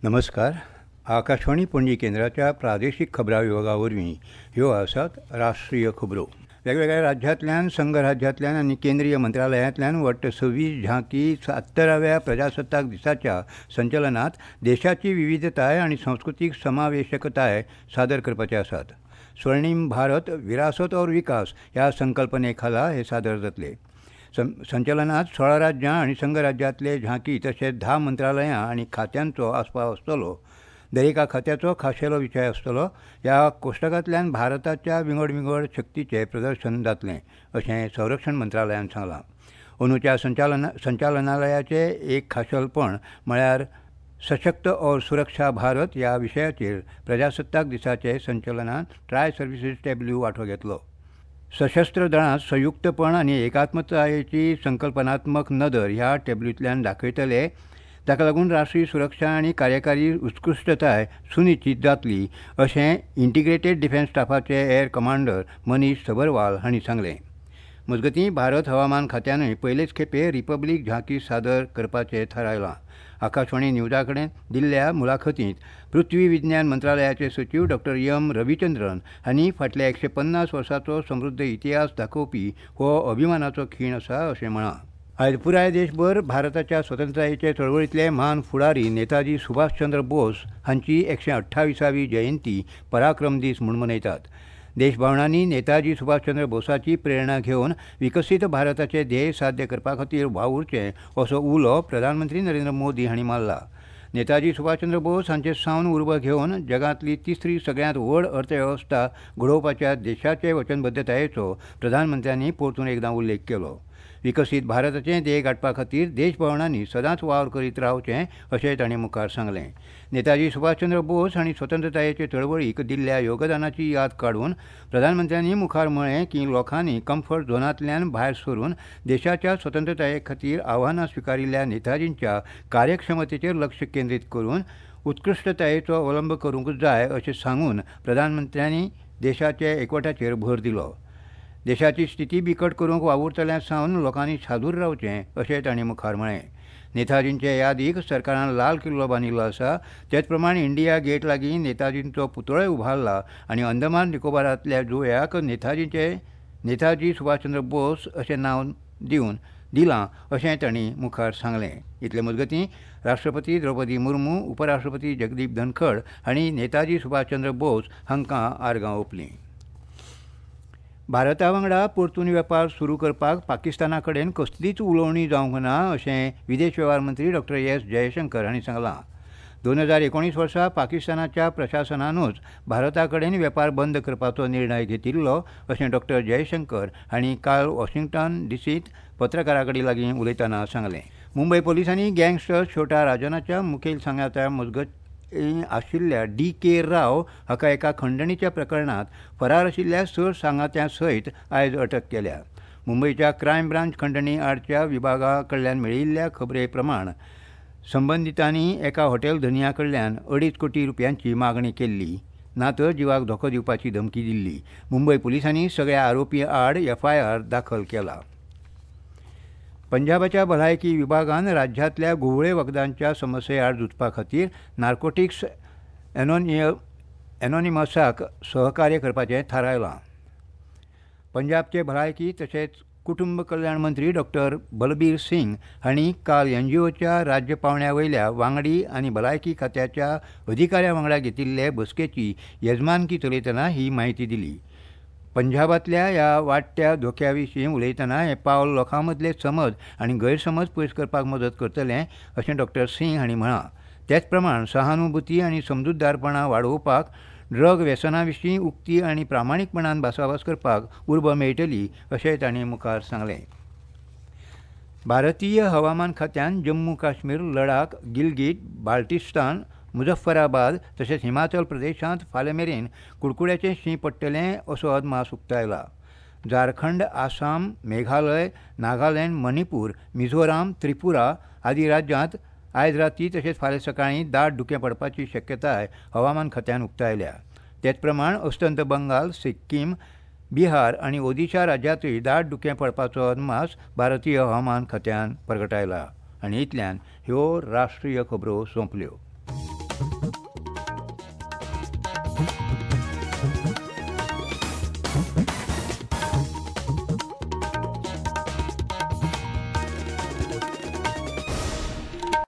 नमस्कार. आकाशवाणी पणजी केंद्राच्या प्रादेशीक खबरां विभागा वरवीं ह्यो आसात राष्ट्रीय खबरो. वेगवेगळ्या राज्यांतल्यान, संघराज्यांतल्यान आनी केंद्रीय मंत्रालयांतल्यान वट्ट 26 झांकी 70व्या प्रजासत्ताक दिसाच्या संचलनात देशाची विविधताय आनी संस्कृतीक समावेशकताय सादर करपाचे आसात. स्वर्णीम भारत विरासत और विकास ह्या संकल्पने खाला हे सादर जातले. संचलनात 16 राज्यां आनी संघराज्यांतले झांकी तशेंच 10 मंत्रालयां आनी खात्यांचो आस्पाव आसतलो. दरेका खात्याचो खाशेलो विशय आसतलो. ह्या कोश्टकांतल्यान भारताच्या विंगड विंगड शक्तीचें प्रदर्शन जातलें अशें संरक्षण मंत्रालयान सांगलां. अंदूच्या संचालनालयाचें एक खाशेलपण म्हळ्यार सशक्त और सुरक्षा भारत ह्या विशयाचेर प्रजासत्ताक दिसाचे संचलनात ट्राय सर्विसीस टॅब्ल्यू वांटो घेतलो. सशस्त्र दळांत संयुक्तपण आनी एकात्मतायेची संकल्पनात्मक नदर ह्या टॅब्लूंतल्यान दाखयतले. ताका लागून राष्ट्रीय सुरक्षा आनी कार्यकारी उत्कृश्टताय सुनिश्चित जातली अशें इंटिग्रेटेड डिफेन्स स्टाफाचे एअर कमांडर मनीष सबरवाल हांणी सांगलें. मजगतीं, भारत हवामान खात्यानूय पयलेच खेपे रिपब्लीक झांकी सादर करपाचें थारायलां. आकाशवाणी न्यूजा कडेन दिल्ल्या मुलाखतींत पृथ्वी विज्ञान मंत्रालयाचे सचीव डॉक्टर एम रविचंद्रन हांणी फाटल्या 150 वर्सांचो समृद्ध इतिहास दाखोवपी हो अभिमानाचो खीण आसा अशें म्हळां. आयज पुराय देशभर भारताच्या स्वतंत्रतायेचे चळवळींतले म्हान फुडारी नेताजी सुभाषचंद्र बोस हांची 128वी जयंती पराक्रम दीस म्हूण मनयतात. देशभावनांनी नेताजी सुभाषचंद्र बोसाची प्रेरणा घेवन विकसीत भारताचे ध्येय साध्य करपा खातीर वावुरचें असो उलो प्रधानमंत्री नरेंद्र मोदी हांणी मारला. नेताजी सुभाषचंद्र बोस हांचे सावन उर्बा घेवन जगांतली तिसरी सगळ्यांत व्हड अर्थवेवस्था घडोवपाच्या देशाचे वचनबद्धतायेचो प्रधानमंत्र्यांनी परतून एकदां उल्लेख केलो. विकसीत भारताचें ध्येय गांठपा खातीर देशभावनांनी सदांच वावर करीत रावचें अशें तांणी मुखार सांगलें. नेताजी सुभाषचंद्र बोस हांणी स्वतंत्रतायेचे चळवळीक दिल्ल्या योगदानाची याद काडून प्रधानमंत्र्यांनी मुखार म्हळें की लोकांनी कम्फर्ट झोनांतल्यान भायर सरून देशाच्या स्वतंत्रताये खातीर आव्हानां स्विकारिल्ल्या नेताजींच्या कार्यक्षमतेचेर लक्ष केंद्रीत करून उत्कृश्टतायेचो अवलंब करूंक जाय अशें सांगून प्रधानमंत्र्यांनी देशाच्या एकवटाचेर भर दिलो. देशाची स्थिती बिकट करूंक वावुरतल्या सावन लोकांनी सादूर रावचें अशें तांणी मुखार म्हळें. नेताजींचे यादीक सरकारान लाल किल्लो बांदिल्लो आसा. तेच प्रमाण इंडिया गेट लागीं नेताजींचो पुतळोय उबारला आनी अंदमान निकोबारांतल्या जुंव्याक नेताजी सुभाषचंद्र बोस अशें नांव दिवन दिलां अशें तांणी मुखार सांगलें. इतले मजगतीं राष्ट्रपती द्रौपदी मुर्मू, उपराष्ट्रपती जगदीप धनखड हांणी नेताजी सुभाषचंद्र बोस हांकां आर्गां ओंपलीं. भारता वांगडा परतून वेपार सुरू करपाक पाकिस्ताना कडेन कसलीच उलोवणी जावंक ना अशें विदेश वेव्हार मंत्री डॉक्टर एस जयशंकर हांणी सांगलां. 2019 वर्सा पाकिस्तानाच्या प्रशासनानूच भारता कडेन वेपार बंद करपाचो निर्णय घेतिल्लो अशें डॉक्टर जयशंकर हांणी काल वॉशिंग्टन डीसींत पत्रकारां कडेन लागीं उलयतना सांगलें. मुंबय पोलिसांनी गँगस्टर छोटा राजनाच्या मुखेल सांगात्या मजगतीं आशिल्ल्या डी के राव हाका एका खंडणीच्या प्रकरणांत फरार आशिल्ल्या 6 सांगात्यां सयत आयज अटक केल्या. मुंबयच्या क्रायम ब्रांच खंडणी आडच्या विभागा कडल्यान मेळिल्ल्या खबरे प्रमाण संबंदितांनी एका हॉटेल धनया कडल्यान 2.5 कोटी रुपयांची मागणी केल्ली, ना तर जिवाक धोको दिवपाची धमकी दिल्ली. मुंबय पुलिसांनी सगळ्या आरोपी आड एफआयआर दाखल केला. पंजाबाच्या भलायकी विभागान राज्यांतल्या घुंवळे वखदांच्या समस्ये आड झुजपा खातीर नार्कोटिक्स एनोनिमसाक सहकार्य करपाचें थारायलां. पंजाबचे भलायकी तशेंच कुटुंब कल्याण मंत्री डॉक्टर बलबीर सिंग हांणी काल एनजीओच्या राज्य पांवड्या वयल्या वांगडी आनी भलायकी खात्याच्या अधिकाऱ्यां वांगडा घेतिल्ले बसकेची येजमानकी चलयतना ही म्हायती दिली. पंजाबांतल्या ह्या वाडट्या धोक्या विशीं उलयतना हें पावल लोकां मदले समज आनी गैरसमज पयस करपाक मदत करतलें अशें डॉक्टर सिंग हांणी म्हळां. तेच प्रमाण सहानुभूती आनी समजूतदारपणां वाडोवपाक ड्रग व्यसना विशीं उक्ती आनी प्रामाणीकपणान भासाभास करपाक उर्बा मेळटली अशें तांणी मुखार सांगलें. भारतीय हवामान खात्यान जम्मू काश्मीर, लडाख, गिलगीट बाल्टिस्तान, मुजफ्फराबाद तशेंच हिमाचल प्रदेशांत फाल्यां मेरेन कुडकुड्याचें शीं पडटलें असो अदमास उक्तायला. झारखंड, आसाम, मेघालय, नागालँड, मणिपूर, मिझोराम, त्रिपुरा आदी राज्यांत आयज राती तशेंच फाल्यां सकाळीं दाट धुकें पडपाची शक्यताय हवामान खात्यान उक्तायल्या. तेच प्रमाण अस्तंत बंगाल, सिक्कीम, बिहार आनी ओदिशा राज्यांतूय दाट धुकें पडपाचो अदमास भारतीय हवामान खात्यान परगटायला. आनी इतल्यान ह्यो राष्ट्रीय खबरो सोंपल्यो.